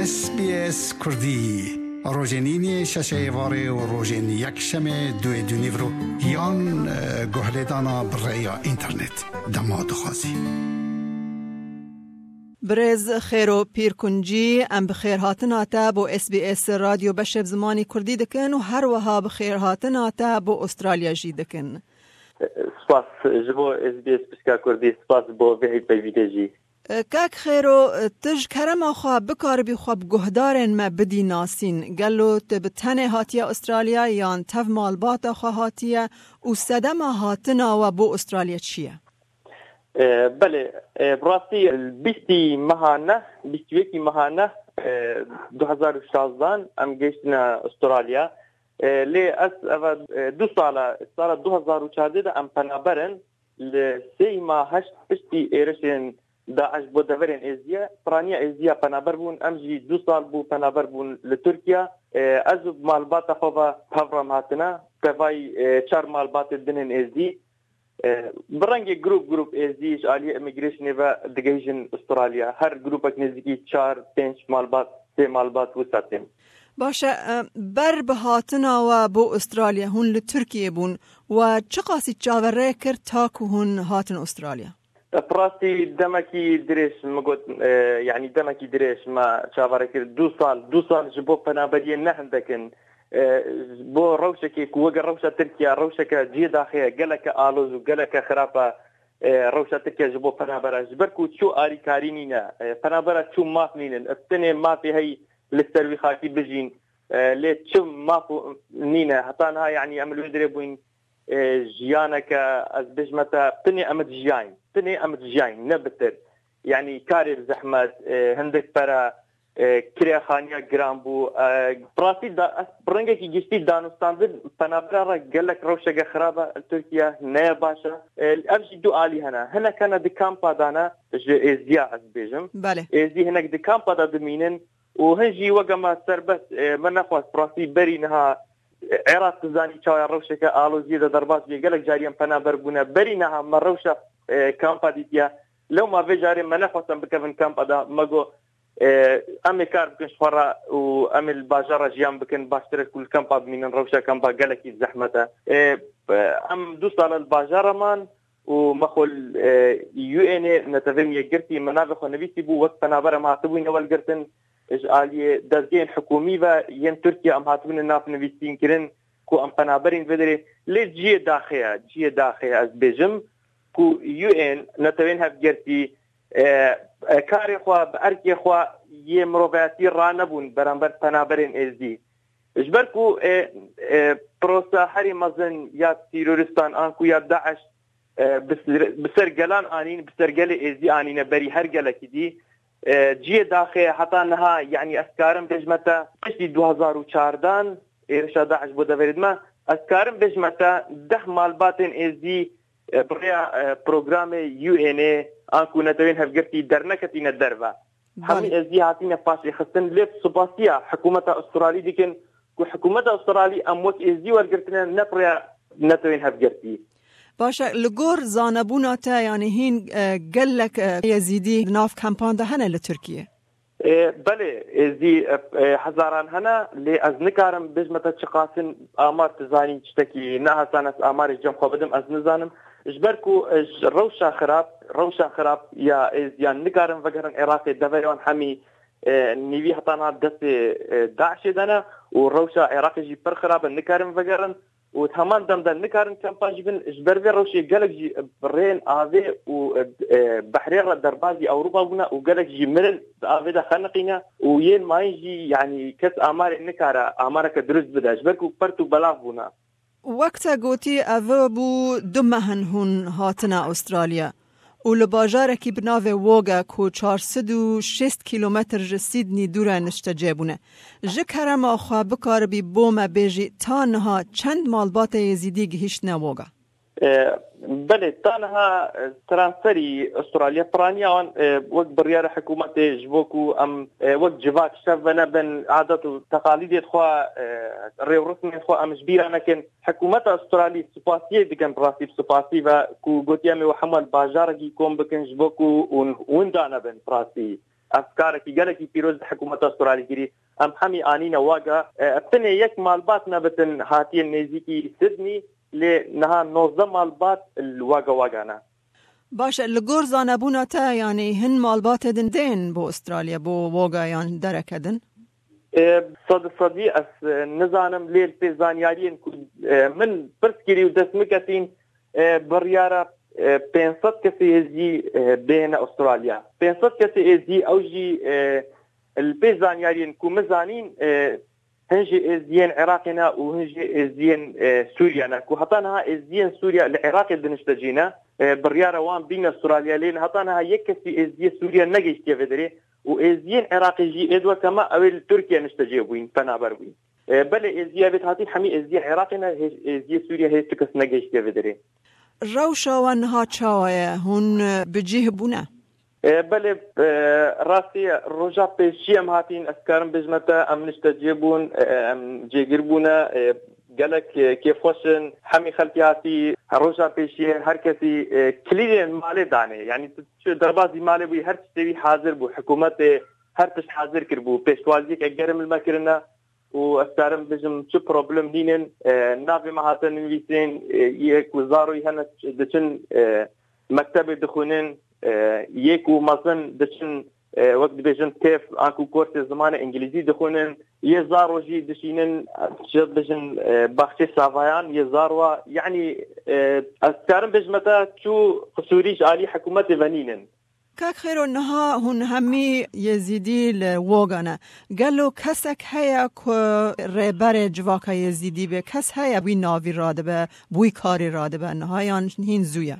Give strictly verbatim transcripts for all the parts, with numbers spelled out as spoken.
S B S Kurdî, rojên înê şeşê êvarê û rojên yekşemê duê dûnîvro yan, e, guhlêdana bi rêya înternet dema dixwazî. Birêz Xêro Pîrkuncî, em bi xêrhatina te bo S B S Radyo beşê bi zimanî Kurdî dikin û her wiha bi xêrhatina te bo Australya jî dikin. Spas ji bo S B S Pirsgirêka Kurdî, spas bo vê hevpeyvînê jî. Kak Xêro, tu ji kerema xwe bikaribî xwe bi guhdarên me bidî nasîn. Gelo tu bi tenê hatiye Australya yan tev malbata xwe hatiye û sedema hatina we bo Australya çi ye? E, belê, e, bi rastî bîstî meha neh, bîst û yekî meha neh, e, du hezar û şazdan em gehiştine Australya. E, lê ez eva, e, du sala, sala du hezar û çardeh de em penaber in. Li sêyî ma heşt piştî êrişên DAIŞ bo deverên Êzdiye, piraniya Êzdiya penaber bûn. Em jî du sal bû penaber bûn li Tirkiye. E, ez û malbata xwe ve hev re em hatine. Tevayî, e, çar malbatê din ên Êzdî. E, bi rengê grup grup Êzdî ji aliyê immigrationê ve digihîjin Australya. Her grupek nêzîkî çar, pênc malbat, sê malbat wisa tên. Baş e, e, ber bi hatina we bo Australya hûn li Tirkiyê bûn. We çiqasî çaverê kir ta ku hûn hatin Australya? Bi rastî demekî dirêj min got, e, yanî demekî dirêj me çavare kir. Du sal, du sal ji bo penaberiyê ne hindek in. E, bo rewşekê ku weke rewşa Tirkiye, rewşeke cihê daxê ye, geleke aloz û geleke xirab e, e, rewşa Tirkiye ji bo penabera. Ji ber ku çû alîkarî nîne, e, penabera çû maf nînin. Ev tenê mafê heyî li ser wî xakî bijîn, e, lê çi maf û nîne. Heta niha, yanî em li wê dirê bûyn, e, jiyaneke, ez bêjme te, pinê em dijiyayîn. Pinê em dijiyayîn, ne bitir. Yanî karê bi zehmet, e, hindik pere, e, kirêxaniya giran bû. E, bi rastî da, ez bi rengekî giştî danûstandin penabera re gelek rewşeke xirab e li Tirkiye, ne ye baş e. E, ev jî du alî hene. Hinek hene di kampa de ne, ji Êzdiya ez dibêjim. Belê. Êzdî hinek di kampa de dimînin û hin jî weke me serbest, e, me nexwest bi rastî berî niha, e, Iraq dizanî çawa rewşeke aloziyê de derbas bûye. Gelek carî em penaber bûne. Berî niha me rewşa, e, kampa dîtiye. Lewma vê carê me nexwest em bikevin kampa de. Me got, e, em ê kar bikin ji xwe re û em ê li bajara jiyan bikin. Baştir e ku li kampa bimînin. Rewşa kampa gelekî zehmet e. E, em du sal e li bajara man û me xwe, e, U N ê, Netewên Yekgirtî, me navê xwe nivîsî bû, wek penaber em hatibûyne welgirtin. Ji aliyê dezgehên hikûmî ve yên Tirkiye em hatibûne nav nivîsîn kirin ku em penaberên vê derê. Lê cihê daxê ye, cihê daxê ye, ez dibêjim ku U N, Netewên Hevgirtî, e, e, karê xwe bi erkê xwe yê mirovayetî ranebûn beramber penaberên Êzdî. Ji ber ku, e, e, prosa herî mezin ya terorîstan an ku ya DAIŞ, e, bi ser, bi ser gelan anîn, bi ser gelê Êzdî anîne berî her gelekî dî. E, cihê daxê heta niha, yanî ez karim bêjme te, piştî du hezar û çardan êrişa DAIŞ bo deverê dime, ez karim bêjme te deh malbatên Êzdî, e, bi rêya, e, programê U N ê an ku Netewên Hevgirtî derneketîne derve. Hemî Êzdî hatîne paşê xistin, lê spasiya hikûmeta Australî dikin ku hikûmeta Australî em wek Êzdî wergirtine, ne bi rêya Netewên Hevgirtî. Baş e, li gor zanebûna te, yanî hîn, e, gelek, e, Yezîdî di nav kampan de hene li Tirkiye? E, belê, Êzdî, e, e, hezaran hene, lê ez nikarim bêjme te çiqas in. Amar, tu zanî, tiştekî ne hesan, ez amarê cem xwe bidim, ez nizanim. Ji ber ku, e, ji rewşa xirab, rewşa xirab ya Êzdiyan nikarin vegerin Iraqê, deverê wan hemî, e, nîvî heta niha destê, e, DAIŞê de ne û rewşa Iraqê jî pir xirab e, nikarin vegerin û di heman dem de nikarin kampa jî bin. Ji ber vê rewşê gelek jî bi rêyên avê û, e, behrê re derbazî Ewropa bûne û gelek jî mirin di avê de xeniqîne û yên mayîn jî, yanî kes amarê nikare amareke dirust bide, ji ber ku pert û belav bûne. Wek te gotî, ev bû du meh in hûn hatine Australya û li bajarekî bi navê Wagga ku çar sed û şêst kîlometr ji Sydney dûr e niştecê bûne. Ji kerema xwe bikaribî bo me bêjî, ta niha çend malbatê Yezîdî gihîştine Wagga? E, belê, ta niha, e, seranserî Australya piraniya wan, e, wek biryara hikûmetê ji bo ku em, e, wek civak şev venebin, adet û teqalîdê xwe, e, rêwrusmên xwe em ji bîra nekin. Hikûmeta Australî spasiyê dikin, bi rastî bi spasî ve ku gotiye em ê we hemû li bajarekî kom bikin ji bo ku hûn winda nebin bi rastî. Ev karekî gelekî pîroz di hikûmeta Australî kirî. Em hemî anîne waga. E, tenê yek malbat nebitin hatiye nêzîkî Sydney, lê niha nozdeh malbat li waga waga ne. Baş e, li gor zanebûna te, yanî hin malbatê din tên bo Australya, bo woga yan dereke din? E, sed sedî ez, e, nizanim, lê li pê zanyariyên ku, e, min pirs kirî û dest min ketîn, e, biryara, e, pênc sed kesê êzî, e, bêne Australya. Pênc sed kesê êzî ew jî, e, li pê zanyariyên ku min zanîn, e, hin jî êzdiyên Iraqê ne û hin jî êzdiyên, e, Sûriye ne. Ku heta niha êzdiyên Sûriye li Iraqê diniştecî ne. E, biryara wan bîne Australya, lê heta niha yek kesî êzdiyê Sûriye negihiştiye vê derê û êzdiyên Iraqê jî êd weke me ew ê li Tirkiye niştecê bûyîn, penaber bûyîn. E, belê êzdiya vê hatî hemî êzdiya Iraqê ne, hê-, êzdiya Sûriye hê tu kes negihiştiye vê derê. Rewşa we niha çawa ye? Hûn, e, bi cih bûne? E, belê, e, rastî ye. Roja pêşî em hatîn, ez karim bêjme te, em niştecê bûn, e, em cêgir bûne, e, gelek, e, kêfxweş in. Hemî xelkê hatî roja pêşiyê her kesî, e, kilîlên malê danê. Yanî tu çi derbazî malê bûyî, her tiştê wî hazir bû. Hikûmetê her tişt hazir kiribû. Pêşwaziyeke germ li me kirine û ez karim bijim çi problem nînin. E, navê me hate nivîsên, e, yê ku zaroyî hene diçin, e, mektebê dixwînin, e, yê ku mezin diçin, e, wek dibêjin têf anku korsê zimanê îngilîzî dixwînin, yê zaro jî dişînin, çi bijin, e, baxçê savayan, yê zaroa, yanî, e, ez karim bijme te çû qisûrî ji alî hikûmetê ve nînin. Kak Xêro, niha hûn hemî Yezîdî li Woga ne. Gelo kesek heye ku rêberê civaka Yezîdî be? Kes heye wî navî radibe, wî karî radibe niha, yan hîn zû ye?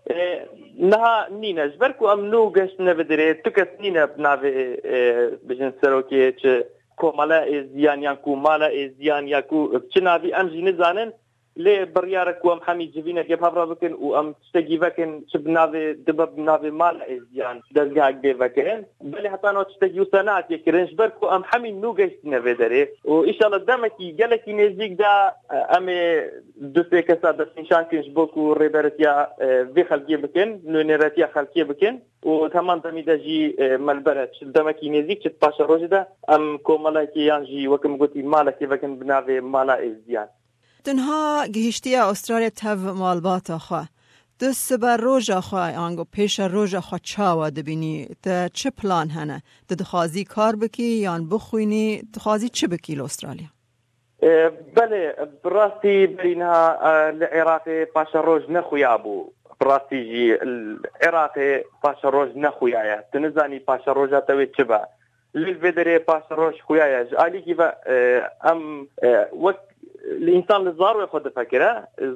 E, niha nîne. Ji ber ku em nû geştine vê derê, tu kes nîne bi navê, e, bijin serokê çi komela Êziyan yan ku mala Êziyan ya ku bi çi navî em jî nizanin. Lê biryar e ku em hemî civînekê bi hev re bikin û em tiştekî vekin, çi bi navê, dibe bi navê mala Êziyan dezgehek bê vekirin. Belê heta niha tiştekî wisa nehatiye kirin, ji ber ku em hemî nû geştine vê derê û îşallah demekî gelekî nêzîk de, e, em ê du sê kesa destnîşan kin ji bo ku rêberetiya, e, vê xelkê bikin, nûneretiya xelkê bikin û di heman demî de jî, e, me li ber e, çi demekî nêzîk, çi di paşerojê de em komelekê yan jî, wek min gotî, malekê vekin bi navê mala Êziyan. Tu niha gihîştiye Australya tev malbata xwe. Tu sibe roja xwe, ango pêşe roja xwe çawa dibînî? Te çi plan hene? Tu dixwazî kar bikî yan bixwînî? Dixwazî çi bikî li Australya? E, belê, bi rastî berî niha, e, li Iraqê paşeroj ne xuya bû. Bi rastî jî li Iraqê paşeroj ne xuya ye. Tu nizanî paşeroja te wê çi be. Li vê derê paşeroş xuya ye. Ji alîkî ve, e, em, e, wek li însan li zarwê xwe difekire.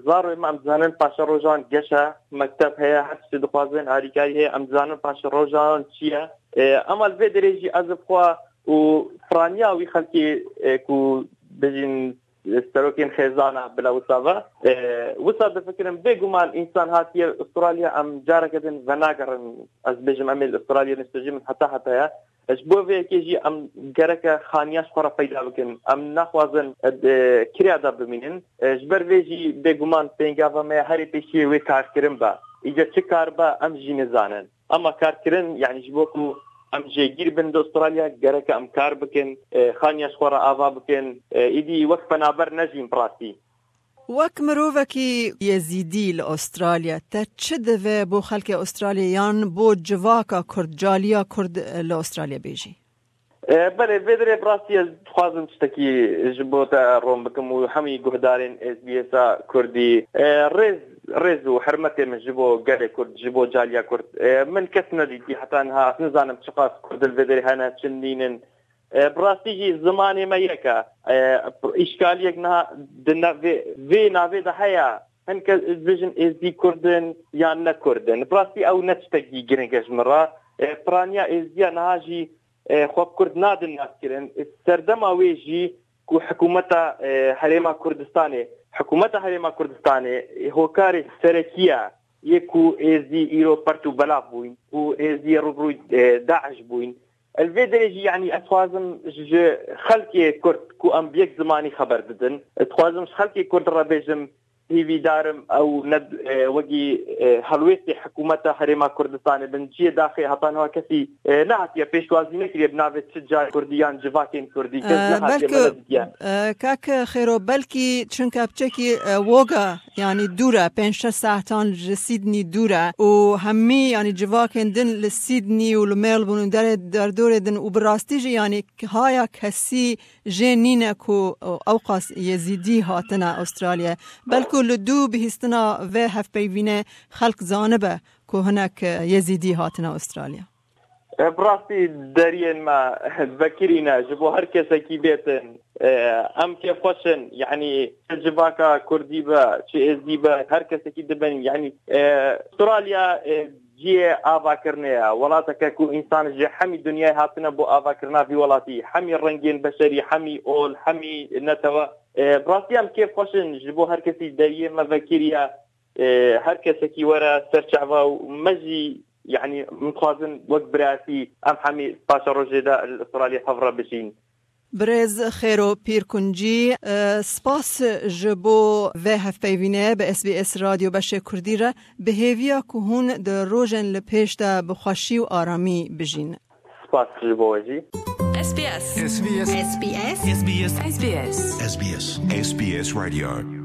Zarwê me em dizanin paşerojan geş e, mekteb heye, her tiştê dixwazin, harîkarî heye. Em dizanin paşerojan çi ye. E, ema li vê derê jî ez bi xwe û piraniya wî xelkê, e, ku bijîn serokên xêzana bila wisa ve, e, wisa difikirin, bêguman însan hatiye Australya, em careke din venagerin. Ez bêjim, em ê li Australya niştecî min heta heta ye. Ji bo vê yekê jî em gereke xaniya ji xwe re peyda bikin. Em naxwazin, e, di kiriya de bimînin. E, ji ber vê jî bêguman pêngava me ya herî pêşiyê wê karkirin be. Îca çi kar be, em jî nizanin. Ema karkirin, yanî ji bo ku em jêgîr bin di Australya, gereke em kar bikin, e, xaniya ji xwe re ava bikin, e, îdî wek penaber nejîn bi rastî. Wek mirovekî Yezîdî li Australya, te çi divê bo xelkê Australya yan bo civaka Kurd, caliya Kurd, e, li Australya bêjî? E, belê, vê derê bi rastî ez dixwazim tiştekî ji bo te rom bikim û hemî guhdarên S B S a Kurdî. E, rêz, rêz û hurmetê min ji bo gelê Kurd, ji bo caliya Kurd. E, min kes nedîtî heta niha, ez nizanim çiqas Kurd li vê derê hene, çi nînin. E, bi rastî jî zimanê me yek e. E, îşkaliyek niha di nav vê, vê navê de heye. Hin kes dibêjin Êzdî Kurd in yan ne Kurd in. Bi rastî ew ne tiştekî giring e ji min re. E, piraniya Êzdiya niha jî, e, xwe bi Kurd nadin naskirin. Serdema wê jî ku hikûmeta, e, Herêma Kurdistanê, hikûmeta Herêma Kurdistanê, e, hokarê serekî ye yê ku Êzdî îro pert û belav bûyn û Êzdî rû bi rûy, e, DAIŞ bûyn. Li vê derê jî, yanî ez dixwazim ji xelkê Kurd ku em bi yek zimanî xeber didin, ez dixwazim ji xelkê Kurd re bêjim, Hîvîdarim ew ne, e, wegî, e, helwêstê hikûmeta Herêma Kurdistanê bin. Ciyê daxê heta niha kesî, e, nehatiye pêşwazî nekiriye bi navê çi cayê Kurdî yan civakên Kurdî. Kes E, nehatiye belki, me nedidiye. E, kak Xêro, belkî çunka piçekî, e, woga, yanî dûr e, pênc şeş saetan ji Sydney dûr e û hemî, yanî civakên din li Sydney û li Melbourne û derê derdorê din û bi rastî jî, yanî haya kesî jê nîne ku ewqas Yezîdî hatine Astralya. Belku li dû bihîstina vê hevpeyvînê xelk zanibe ku hinek Yezîdî hatine Astralya. E, bi rastî deriyên me vekirî ne. Ji bo her kesekî bêtin, e, em kêfxweş in. Yanî çi civaka Kurdî be, çi Êzdî be, her kesekî dibin. Yanî, e, Astralya, e, cihê avakirinê ye. Welateke ku însan ji hemî dinyayê hatine bo avakirina vî welatî. Hemî rengên beşerî, hemî ol, hemî netewe. E, bi rastî em kêfxweş in ji bo her kesî deriyê me vekiriye. E, her kesekî were ser çava û me jî, yanî, min dixwazin wek birayetî em hemî paşerojê de li Astralya hev re bijîn. Birêz Xêro Pîrkuncî, e, spas ji bo vê hevpeyvînê bi S B S Radyo Beşê Kurdî re, bi hêviya ku hûn di rojên li pêş de bi xweşî û aramî bijîn. Spas ji bo we jî. S B S. S B S. S B S. S B S. S B S. S B S. S B S Radio.